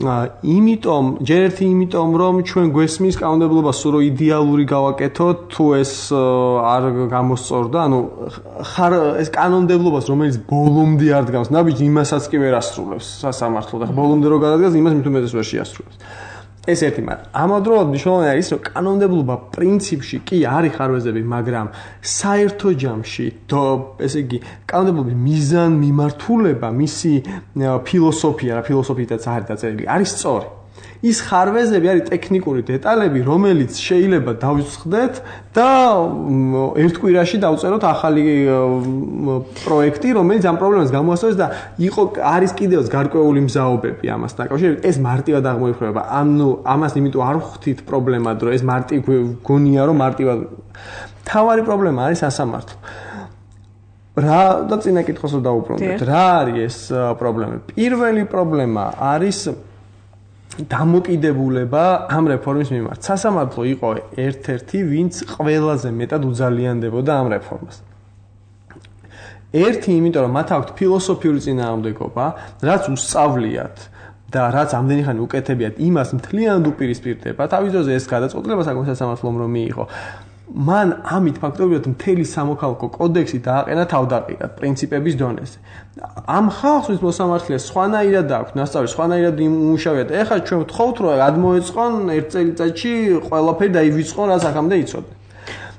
იმიტომ, ჯერ ერთი იმიტომ, რომ ჩვენ გვესმის კანონმდებლობა სულ იდეალური გავაკეთოთ, თუ ეს არ გამოსწორდა, ანუ ხარ ეს კანონმდებლობას, რომელიც ბოლომდე არ დგას, ნაბიჯი იმასაც კი ვერ ასრულებს სასამართლო და ბოლომდე რო გადადგას, იმას მით უმეტეს ვერ შეასრულებს. ეს ერთი, მაგრამ ამავდროულად მნიშვნელოვანი არის, რომ კანონმდებლობა პრინციპში კი არის ხარვეზები, მაგრამ საერთო ჯამში, ესე იგი, კანონმდებლობის მიზან მიმართულება, მისი ფილოსოფია, რა ფილოსოფიითაც არის დაწერილი, არის სწორი. ის ხარვეზები არის ტექნიკური დეტალები, რომელიც შეიძლება დავიწყდეთ და ერთ კვირაში დავწეროთ ახალი პროექტი, რომელიც ამ პრობლემას გამოასწორებს და იყო არის კიდევაც გარკვეული მზაობები ამას დაკავშირებით. ეს მარტივად აღმოიფრება. ანუ ამას იმიტომ არ ვხვდით პრობლემად, რომ ეს მარტივ გონია, რომ მარტივად. თავარი პრობლემა არის სასამართლო. რა და წინა კითხვას დავუბრუნდეთ. რა არის ეს პრობლემა? პირველი პრობლემა არის დამოკიდებულება ამ რეფორმის მიმართ. სასამართლო იყო ერთ-ერთი, ვინც ყველაზე მეტად უძალიანდებოდა ამ რეფორმას. ერთი, იმიტომ რომ მათ აქვთ ფილოსოფიური წინააღმდეგობა, რაც უსწავლიათ და რაც ამდენი ხანი უკეთებიათ, იმას მთლიანად უპირისპირდება. თავის დროზე ეს გადაწყვეტილება საკუთარ სასამართლომ რომ მიიღო. მან ამით ფაქტობრივად მთელი სამოქალაქო კოდექსი დააყენა თავდაყირად პრინციპების დონეზე. ამ ხალხს ვის მოსამართლე სხვანაირად აქვს, ნასწავლი სხვანაირად იმუშავებთ. ეხლა ჩვენ ვთხოვთ, რომ გადმოეწყონ ერთ წელიწადში ყველაფერი დაივიწყონ, რაც აქამდე იცოდნენ.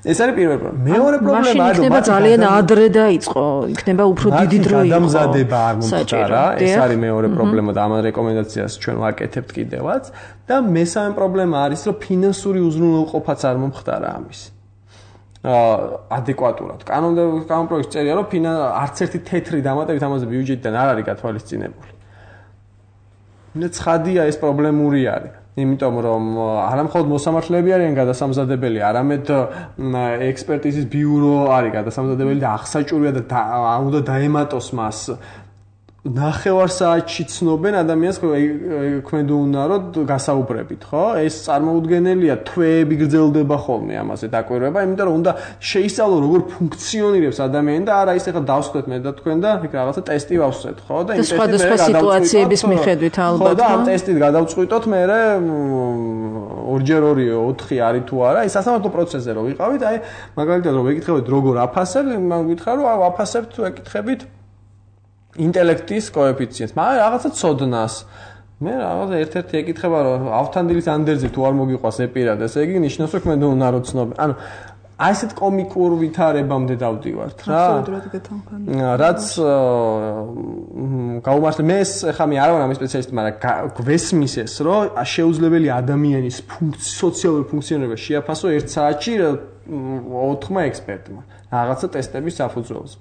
ეს არის პირველი პრობლემა. მეორე პრობლემა არის, რომ იქნება ძალიან ადრე დაიწყო, იქნება უფრო დიდი დრო იყო. გადამზადება არ მომხდარა, ეს არის მეორე პრობლემა და ამ რეკომენდაციას ჩვენ ვაკეთებთ კიდევაც. და მესამე პრობლემა არის, რომ ფინანსური უზრუნველყოფაც არ მომხდარა ამის. ადეკვატურად. კანონპროექტში წერია, რომ არც ერთი თეთრი დამატებით ამაზე ბიუჯეტიდან არ არის გათვალისწინებული. მე ცხადია ეს პრობლემური არის. იმიტომ რომ არა მხოლოდ მოსამართლეები არიან გადასამზადებელი, არამედ ექსპერტიზის ბიურო არის გადასამზადებელი და აღსაჭურია და უნდა დაემატოს მას. ნახევარ საათში ცნობენ ადამიანს ქმედუნაროდ გასაუბრებით, ხო? ეს წარმოუდგენელია, თვეები გრძელდება ხოლმე ამაზე დაკვირვება, იმიტომ რომ უნდა შეისწავლო როგორ ფუნქციონირებს ადამიანი და არა ის ახლა დავსვეთ მე და თქვენ და იქ რაღაცა ტესტი ვავსვეთ, ხო? და ეს სხვადასხვა სიტუაციების მიხედვით ალბათ. ხო და ამ ტესტით გადავწყვიტოთ მე ორჯერ ორი ოთხი არის თუ არა, ის სასამართლო პროცესზე რო ვიყავით, აი მაგალითად რომ ვეკითხებით როგორ აფასებ, მან გითხრა რომ აფასებთ ვეკითხებით ინტელექტის კოეფიციენტს, მაგრამ რაღაცა ცოდნას. მე რაღაცა ერთ-ერთი ეკითხება რომ ავთანდილის ანდერძი თუ არ მოგიყვას ეპირად, ესე იგი ნიშნავს რომ მე უნდა რო ცნობ. ანუ აი ესეთ კომიკურ ვითარებამდე დავდივართ რა. აბსოლუტურად გეთანხმები. რაც გაუმართლე მე ეს ხა მე არ ვარ ამის სპეციალისტი, მაგრამ გვესმის ეს, რომ შეუძლებელი ადამიანის სოციალური ფუნქციონირება შეაფასო ერთ საათში ოთხმა ექსპერტმა რაღაცა ტესტების საფუძველზე.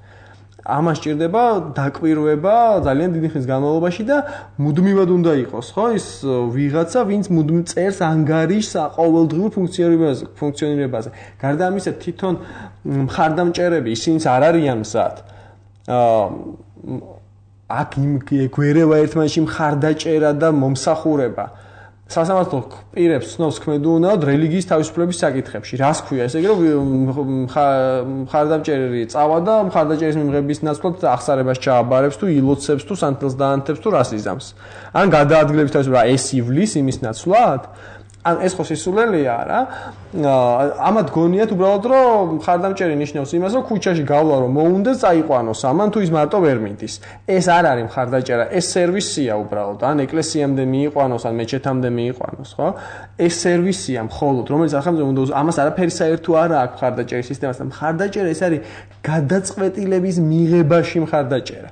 ამას სჭირდება დაკვირვება ძალიან დიდი ხნის განმავლობაში და მუდმივად უნდა იყოს, ხო? ის ვიღაცა, ვინც მუდმივ წერს ანგარიშს ყოველდღიურ ფუნქციონირებაზე, ფუნქციონირებაზე. გარდა ამისა, თვითონ მხარდამჭერები, ისინიც არ არიან მზად. აა აქ იმ გვერევა ერთმანეთში მხარდაჭერა და მომსახურება. სასამართლო პირებს ცნობს ქმედუნაოდ რელიგიის თავისუფლების საკითხებში. რას ქვია ესე იგი, რომ მხარდამჭერი წავა და მხარდაჭერის მიღების ნაცვლად აღსარებას ჩააბარებს თუ ილოცებს თუ სანთელს დაანთებს თუ რას იზამს. ან გადაადგილების თავისუფლება ეს ივლის იმის ნაცვლად? ან ეს ხო სისულელია რა? ამათ გონიათ უბრალოდ რომ მხარდამჭერი ნიშნავს იმას, რომ ქუჩაში გავლა რომ მოუნდეს წაიყვანოს ამან თუ ის მარტო ვერ მიდის. ეს არ არის მხარდაჭერა, ეს სერვისია უბრალოდ. ან ეკლესიამდე მიიყვანოს, ან მეჩეთამდე მიიყვანოს, ხო? ეს სერვისია მხოლოდ, რომელიც ახლა უნდა ამას არაფერი საერთო არ აქვს მხარდაჭერის სისტემასთან. მხარდაჭერა ეს არის გადაწყვეტილების მიღებაში მხარდაჭერა.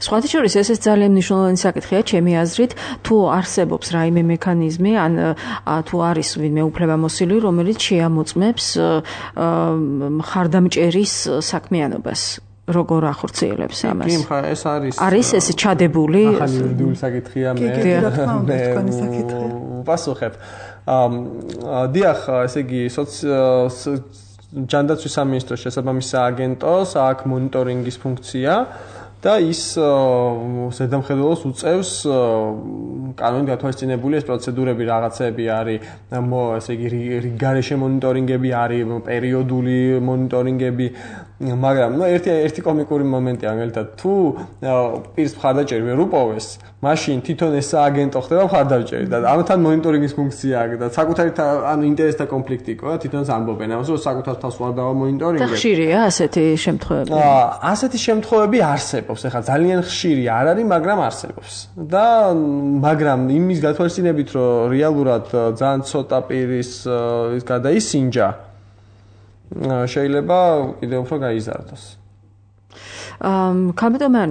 სხვათა შორის ესეც ძალიან მნიშვნელოვანი საკითხია ჩემი აზრით, თუ არსებობს რაიმე მექანიზმი, ან თუ არის ვინმე უფლებამოსილი, რომელიც შეამოწმებს მხარდამჭერის საქმიანობას. როგორ ახორციელებს ამას? კი, ხა ეს არის. არის ეს ჩადებული? ახალი იურიდიული საკითხია მე. კი, რა თქმა უნდა, თქვენი საკითხია. ვპასუხებ. აა დიახ, ესე იგი, ჯანდაცვის სამინისტროს შესაბამის სააგენტოს აქვს მონიტორინგის ფუნქცია. და ის ზედამხედველოს უწევს კანონით გათვალისწინებული ეს პროცედურები რაღაცები არის, ესე იგი, გარეშე მონიტორინგები არის, პერიოდული მონიტორინგები, მაგრამ ნუ ერთი ერთი კომიკური მომენტია, მაგალითად, თუ პირს მხარდაჭერი ვერ უპოვეს, მაშინ თვითონ ეს სააგენტო ხდება მხარდაჭერი და ამთან მონიტორინგის ფუნქცია აქვს და საკუთარი ანუ ინტერესთა კონფლიქტი იყო და თვითონაც ამბობენ ამას, რომ საკუთარ თავს ვარ დავა მონიტორინგები. და ხშირია ასეთი შემთხვევები? ასეთი შემთხვევები არსებობს. ეხლა ძალიან ხშირი არ არის, მაგრამ არსებობს. და მაგრამ იმის გათვალისწინებით, რომ რეალურად ძალიან ცოტა პირის ის გადაისინჯა, შეიძლება კიდევ უფრო გაიზარდოს. აა კაპიტანმა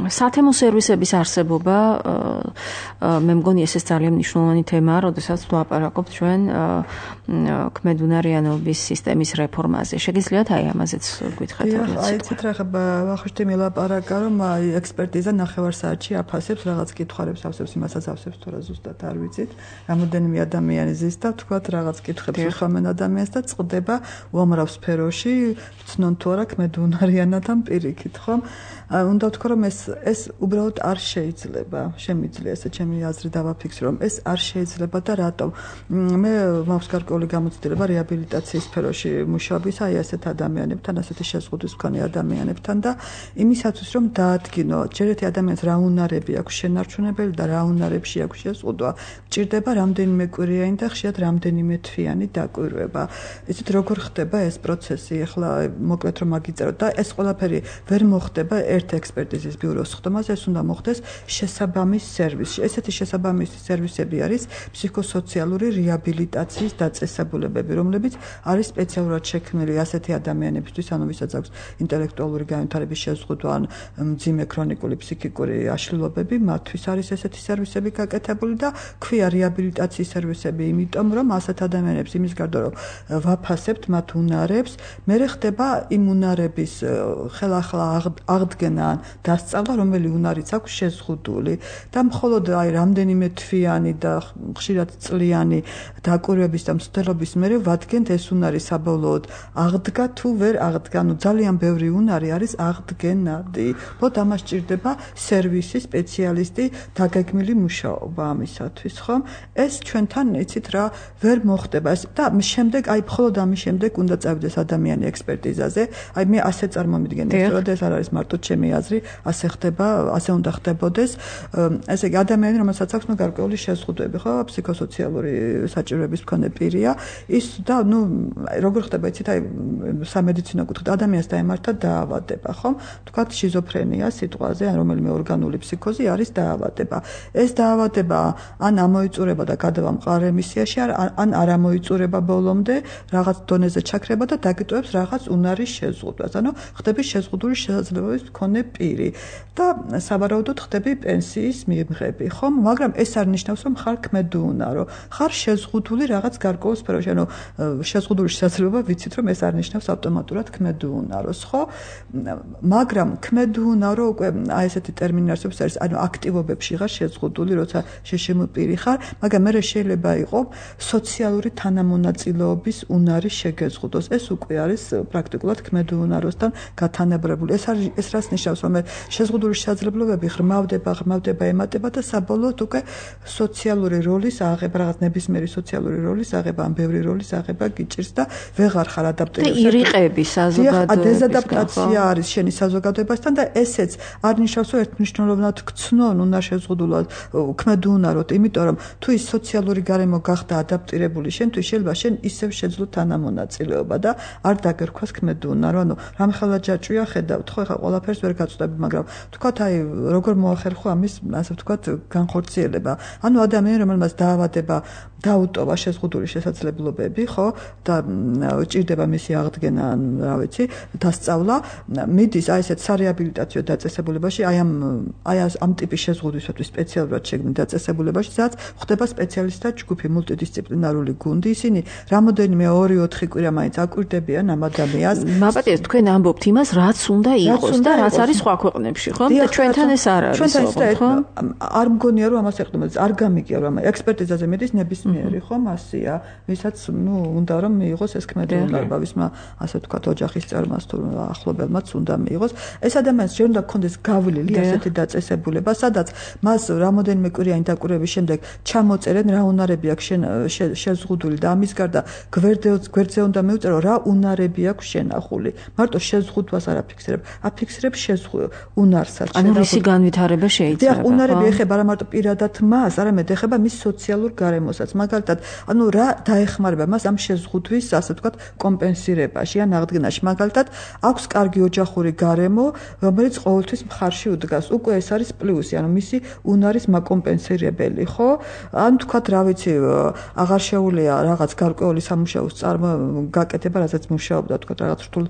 სათემო სერვისების არსებობა მე მგონი ესეც ძალიან მნიშვნელოვანი თემაა, როდესაც ვლაპარაკობთ ჩვენ ქმედუნარიანობის სისტემის რეფორმაზე. შეგიძლიათ აი ამაზეც გითხრათ? აი ცით რა ვახუშტი მელაპარაკა, რომ აი ექსპერტიზა ნახევარ საათში აფასებს რაღაც კითხვებს, ავსებს იმასაც ავსებს თუ რა ზუსტად არ ვიცით. რამოდენიმე ადამიანი ზის და თქვათ რაღაც კითხვებს უსვამენ ადამიანს და წყდება უამრავ სფეროში, ცნონ თუ არა ქმედუნარიანად პირიქით, ხომ? უნდა ვთქვა, რომ ეს ეს უბრალოდ არ შეიძლება. შემიძლია ესე ჩემი აზრი დავაფიქსრო, რომ ეს არ შეიძლება და რატომ? მე მაქვს გარკვეული გამოცდილება რეაბილიტაციის სფეროში მუშაობის, აი ასეთ ადამიანებთან, ასეთი შეზღუდვის მქონე ადამიანებთან და იმისათვის, რომ დაადგინო, ჯერ ერთი ადამიანს რა უნარები აქვს შენარჩუნებელი და რა უნარებში აქვს შეზღუდვა, გჭირდება რამდენიმე კვირიანი და ხშირად რამდენიმე თვიანი დაკვირვება. იცით როგორ ხდება ეს პროცესი? ახლა მოკლედ რომ აგიწეროთ და ეს ყველაფერი ვერ მოხდება ერთ ექსპერტიზის ბიუროს ხდომაზე, ეს უნდა მოხდეს შესაბამის სერვისში. ესეთი შესაბამისი სერვისები არის ფსიქოსოციალური რეაბილიტაციის დაწესებულებები, რომლებიც არის სპეციალურად შექმნილი ასეთი ადამიანებისთვის, ანუ ვისაც აქვს ინტელექტუალური განვითარების შეზღუდვა ან მძიმე ქრონიკული ფსიქიკური აშლილობები, მათთვის არის ესეთი სერვისები გაკეთებული და ქვია რეაბილიტაციის სერვისები, იმიტომ რომ ასეთ ადამიანებს იმის გარდა რომ ვაფასებთ მათ უნარებს, მერე ხდება იმ უნარების ხელახლა აღდგენა ან დასწავლა, რომელი უნარიც აქვს შეზღუდული და მხოლოდ აი რამდენიმე თვიანი და ხშირად წლიანი დაკვირვების და მცდელობის მერე ვადგენთ ეს უნარი საბოლოოდ აღდგა თუ ვერ აღდგა. ანუ ძალიან ბევრი უნარი არის აღდგენადი. ბოდ ამას სჭირდება სერვისი, სპეციალისტი, დაგეგმილი მუშაობა ამისათვის, ხომ? ეს ჩვენთან იცით რა ვერ მოხდება. და შემდეგ აი მხოლოდ ამის შემდეგ უნდა წავიდეს ადამიანი ექსპერტიზაზე. აი მე ასე წარმომიდგენია, რომ ეს არ არის მარტო ჩემი აზრი, ასე ასე ხდება, ასე უნდა ხდებოდეს. ესე იგი ადამიანი, რომელსაც აქვს ნუ გარკვეული შეზღუდვები, ხო, ფსიქოსოციალური საჭიროების მქონე პირია, ის და ნუ როგორ ხდება იცით, აი სამედიცინო კუთხით ადამიანს დაემართა დაავადება, ხო? თქვათ შიზოფრენია სიტყვაზე, ან რომელიმე ორგანული ფსიქოზი არის დაავადება. ეს დაავადება ან ამოიწურება და გადავა მყარ რემისიაში, ან არ ამოიწურება ბოლომდე, რაღაც დონეზე ჩაქრება და დაგიტოვებს რაღაც უნარის შეზღუდვას. ანუ ხდები შეზღუდული შესაძლებლობის მქონე პირი და სავარაუდოდ ხდები პენსიის მიღები, ხო? მაგრამ ეს არ ნიშნავს, რომ ხარ ქმედუუნარო. ხარ შეზღუდული რაღაც გარკვეულ სფეროში, ანუ შეზღუდული შესაძლებლობა ვიცით, რომ ეს არ ნიშნავს ავტომატურად ქმედუუნაროს, ხო? მაგრამ ქმედუუნარო უკვე აი ესეთი ტერმინი არსებობს, არის ანუ აქტივობებში ხარ შეზღუდული, როცა შეშემო პირი ხარ, მაგრამ მე შეიძლება იყო სოციალური თანამონაწილეობის უნარი შეგეზღუდოს. ეს უკვე არის პრაქტიკულად ქმედუუნაროსთან გათანაბრებული. ეს არის ეს რას ნიშნავს, რომ შეზღუდული შესაძლებლობები ღრმავდება, ღრმავდება, ემატება და საბოლოოდ უკვე სოციალური როლის აღება, რაღაც ნებისმიერი სოციალური როლის აღება, ან ბევრი როლის აღება გიჭირს და ვეღარ ხარ ადაპტირებული. და ირიყები საზოგადოებისგან. დეზადაპტაცია არის შენი საზოგადოებასთან და ესეც არ ნიშნავს, რომ ერთმნიშვნელოვნად გცნონ უნდა შეზღუდულად ქმედუუნაროთ, იმიტომ რომ თუ ის სოციალური გარემო გახდა ადაპტირებული შენთვის, შეიძლება შენ ისევ შეძლო თანამონაწილეობა და არ დაგერქვას ქმედუუნარო. ანუ რამხელა ჯაჭვია ხედავთ, ხო, ეხლა ყველაფერს ვერ გაწვდები, მაგრამ თქვათ აი როგორ მოახერხო ამის, ასე ვთქვათ, განხორციელება. ანუ ადამიანი, რომელმაც დაავადება დაუტოვა შეზღუდული შესაძლებლობები, ხო, და ჭირდება მისი აღდგენა, რა ვიცი, დასწავლა, მიდის აი ესეთ სარეაბილიტაციო დაწესებულებაში, აი ამ აი ამ ტიპის შეზღუდვისათვის სპეციალურად შეგმნით დაწესებულებაში, სადაც ხდება სპეციალისტთა ჯგუფი, მულტიდისციპლინარული გუნდი, ისინი რამოდენიმე ორი ოთხი კვირა მაინც აკვირდებიან ამ ადამიანს. მაპატიეთ, თქვენ ამბობთ იმას, რაც უნდა იყოს და რაც არის სხვა ქვეყნებში, ხო? და ჩვენთან ეს არ არის, ხო? არ მგონია რომ ამას ეხდომა, არ გამიგია რომ ექსპერტიზაზე მედის ნებისმიერი, ხო, მასია, ვისაც ნუ უნდა რომ მიიღოს ეს ქმედუუნარობა, ვისმა ასე ვთქვათ, ოჯახის წარმას თუ ახლობელმაც უნდა მიიღოს. ეს ადამიანს ჯერ უნდა ქონდეს გავლილი ასეთი დაწესებულება, სადაც მას რამოდენიმე კვირიანი დაკვირვების შემდეგ ჩამოწერენ რა უნარები აქვს შეზღუდული და ამის გარდა გვერდზე უნდა მიუწერო რა უნარები აქვს შენახული. მარტო შეზღუდვას არ აფიქსირებ, აფიქსირებ უნარსაც. ანუ რისი განვითარება შეიძლება? დიახ, უნარები ეხება არა მარტო პირადად მას, არამედ ეხება მის სოციალურ გარემოსაც. მაგალითად, ანუ რა დაეხმარება მას ამ შეზღუდვის, ასე ვთქვათ, კომპენსირებაში ან აღდგენაში. მაგალითად, აქვს კარგი ოჯახური გარემო, რომელიც ყოველთვის მხარში უდგას. უკვე ეს არის პლუსი, ანუ მისი უნარის მაკომპენსირებელი, ხო? ან თქვათ, რა ვიცი, აღარ შეუძლია რაღაც გარკვეული სამუშაოს წარმო გაკეთება, რასაც მუშაობდა, თქვათ, რაღაც რთულ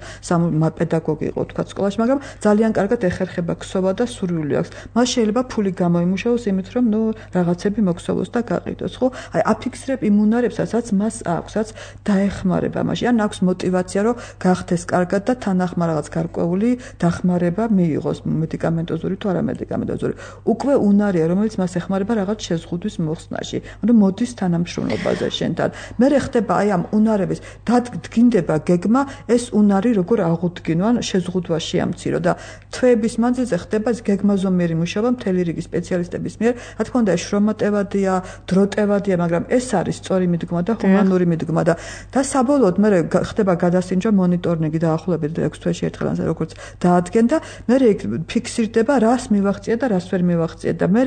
პედაგოგი იყო, თქვათ, სკოლაში, მაგრამ ძალიან კარგად ეხერხება ქსოვა და სურვილი აქვს. მას შეიძლება ფული გამოიმუშაოს იმით, რომ ნუ რაღაცები მოქსოვოს და გაყიდოს, ხო? აი, აფიქსირებ იმ უნარებს, რაც მას აქვს, რაც დაეხმარება მასში. ან აქვს мотиваცია, რომ გახდეს კარგად და თანახმა რაღაც გარკვეული დახმარება მიიღოს, მედიკამენტოზური თუ არამედიკამენტოზური. უკვე უნარია, რომელიც მას ეხმარება რაღაც შეზღუდვის მოხსნაში. ანუ მოდის თანამშრომლობაზე შენთან. მე ხდება აი ამ უნარების დადგინდება გეგმა, ეს უნარი როგორ აღუდგინო, ან შეზღუდვაში ამცირო და თვეების მანძილზე ხდება გეგმაზომიერი მუშაობა მთელი რიგი სპეციალისტების მიერ. რა თქმა უნდა, შრომატევადია, დროტევადია, მაგრამ ეს არის სწორი მიდგომა და ჰუმანური მიდგომა და და საბოლოოდ მე ხდება გადასინჯვა მონიტორინგი და ახლობლად ექვს თვეში ერთხელ ან როგორც დაადგენ და მე ფიქსირდება რას მივაღწია და რას ვერ მივაღწია და მე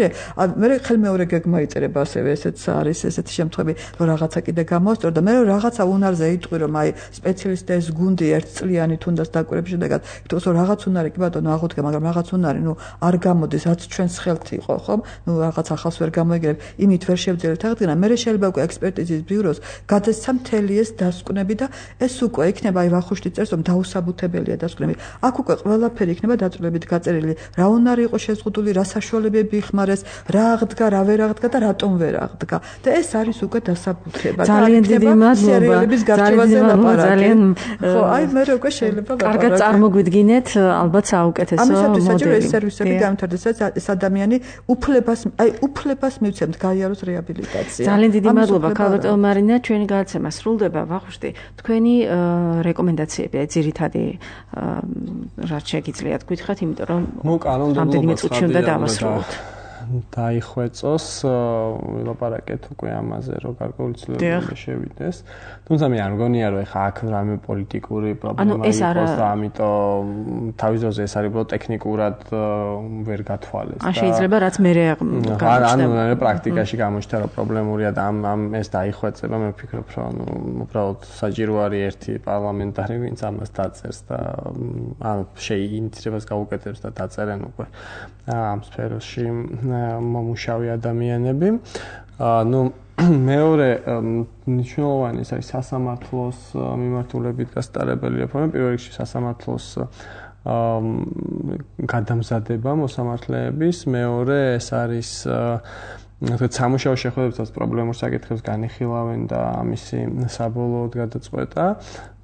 მე ხელმეორე გეგმა იწერება ასევე ესეც არის ესეთი შემთხვევები რომ რაღაცა კიდე გამოსწორ და მე რაღაცა უნარზე იტყვი რომ აი სპეციალისტთა ეს გუნდი ერთწლიანი თუნდაც დაკვირვების შედეგად იტყვის რომ რაღაც უნარი კი ბატონო აღუდგა მაგრამ რაღაც უნარი ნუ არ გამოდის რაც ჩვენს ხელთ იყო ხომ ნუ რაღაც ახალს ვერ გამოიგებ იმით ვერ შევძლებთ აღდგენა მე შეიძლება უკვე ექსპერტიზის ბიუროს გადასცა მთელი ეს დასკვნები და ეს უკვე იქნება აი ვახუშტი წერს რომ დაუსაბუთებელია დასკვნები აქ უკვე ყველაფერი იქნება დაწვრილებით გაწერილი რა უნარი იყო შეზღუდული რა საშუალებები იხმარეს რა აღდგა რა ვერ აღდგა და რატომ ვერ აღდგა და ეს არის უკვე დასაბუთება ძალიან დიდი მადლობა ძალიან ხო აი მე უკვე შეიძლება კარგად წარმოგვიდგინეთ ალბათ საუკეთესო მოდელი ამისათვის საჭირო ეს სერვისები გამართდეს ეს ადამიანი უფლებას აი უფლებას მივცემთ გაიაროს რეაბილიტაცია ძალიან დიდი მადლობა ქალბატონ მარინა ჩვენი გადაცემა სრულდება ვახუშტი თქვენი რეკომენდაციები ძირითადი რაც შეგიძლიათ გითხრათ იმიტომ რომ მოკანონმდებლობა წუთში უნდა დავასრულოთ დაიხვეწოს, ვილაპარაკეთ უკვე ამაზე, რომ გარკვეული ცვლილებები შევიდეს. თუმცა მე არ მგონია, რომ ეხა აქ რამე პოლიტიკური პრობლემა იყოს და ამიტომ თავის დროზე ეს არის უბრალოდ ტექნიკურად ვერ გათვალეს. ან შეიძლება რაც მე გამოჩნდება. ანუ პრაქტიკაში გამოჩნდა, რომ პრობლემურია და ამ ამ ეს დაიხვეწება, მე ვფიქრობ, რომ ანუ უბრალოდ საჭირო არის ერთი პარლამენტარი, ვინც ამას დაწერს და ან შეინიციირებას გაუკეთებს და დაწერენ უკვე ამ სფეროში მომუშავე ადამიანები. ну მეორე მნიშვნელოვანი ის არის სასამართლოს მიმართულებით გასტარებელი რეფორმა, პირველ რიგში სასამართლოს გადამზადება მოსამართლეების, მეორე ეს არის თქო სამუშაო შეხვედრებსაც პრობლემურ საკითხებს განიხილავენ და ამისი საბოლოოდ გადაწყვეტა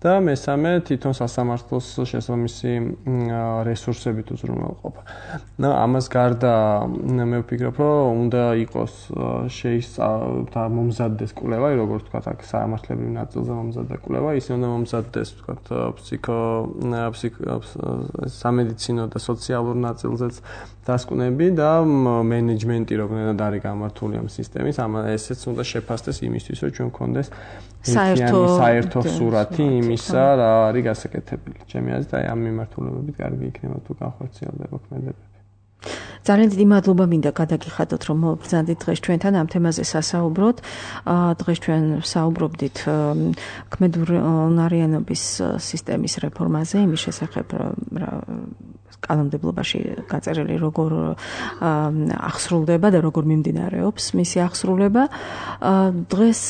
და მესამე თვითონ სასამართლოს შესაბამისი რესურსებით უზრუნველყოფა. და ამას გარდა მე ვფიქრობ, რომ უნდა იყოს შეისწავლა მომზადდეს კვლევა, როგორც თქვა აქ სამართლებრივ ნაწილზე მომზადდა კვლევა, ისე უნდა მომზადდეს თქვა ფსიქო სამედიცინო და სოციალურ ნაწილზეც დასკვნები და მენეჯმენტი როგორ არის გამართული ამ სისტემის, ამ ესეც უნდა შეფასდეს იმისთვის, რომ ჩვენ გქონდეს საერთო საერთო სურათი იმისა, რა არის გასაკეთებელი. ჩემი აზრით, აი ამ მიმართულებებით კარგი იქნება თუ განხორციელდება ქმედებები. ძალიან დიდი მადლობა მინდა გადაგიხადოთ, რომ მოგბრძანდით დღეს ჩვენთან ამ თემაზე სასაუბროთ. დღეს ჩვენ საუბრობდით ქმედუნარიანობის სისტემის რეფორმაზე, იმის შესახებ კანონმდებლობაში გაწერილი როგორ ახსრულდება და როგორ მიმდინარეობს მისი ახსრულება. დღეს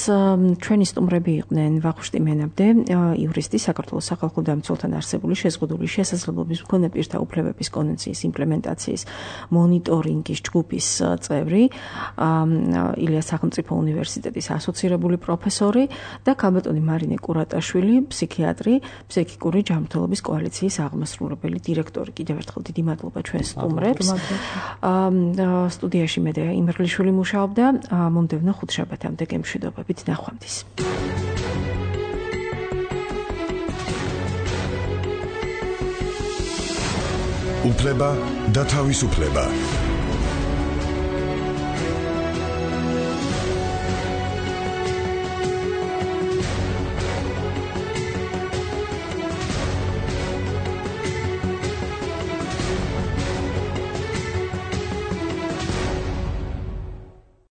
ჩვენი სტუმრები იყვნენ ვახუშტი მენაბდე, იურისტი, საქართველოს სახალხო დამცველთან არსებული შეზღუდული შესაძლებლობის მქონე პირთა უფლებების კონვენციის იმპლემენტაციის მონიტორინგის ჯგუფის წევრი, ილიას სახელმწიფო უნივერსიტეტის ასოცირებული პროფესორი და ქალბატონი მარინე კურატაშვილი, ფსიქიატრი, ფსიქიკური ჯანმრთელობის კოალიციის აღმასრულებელი დირექტორი. კიდევ ერთხელ დიდი მადლობა ჩვენ სტუმრებს. სტუდიაში მედეა იმერლიშვილი მუშაობდა. მომდევნო ხუთშაბათამდე გემშვიდობებით, ნახვამდის. უფლება და თავისუფლება.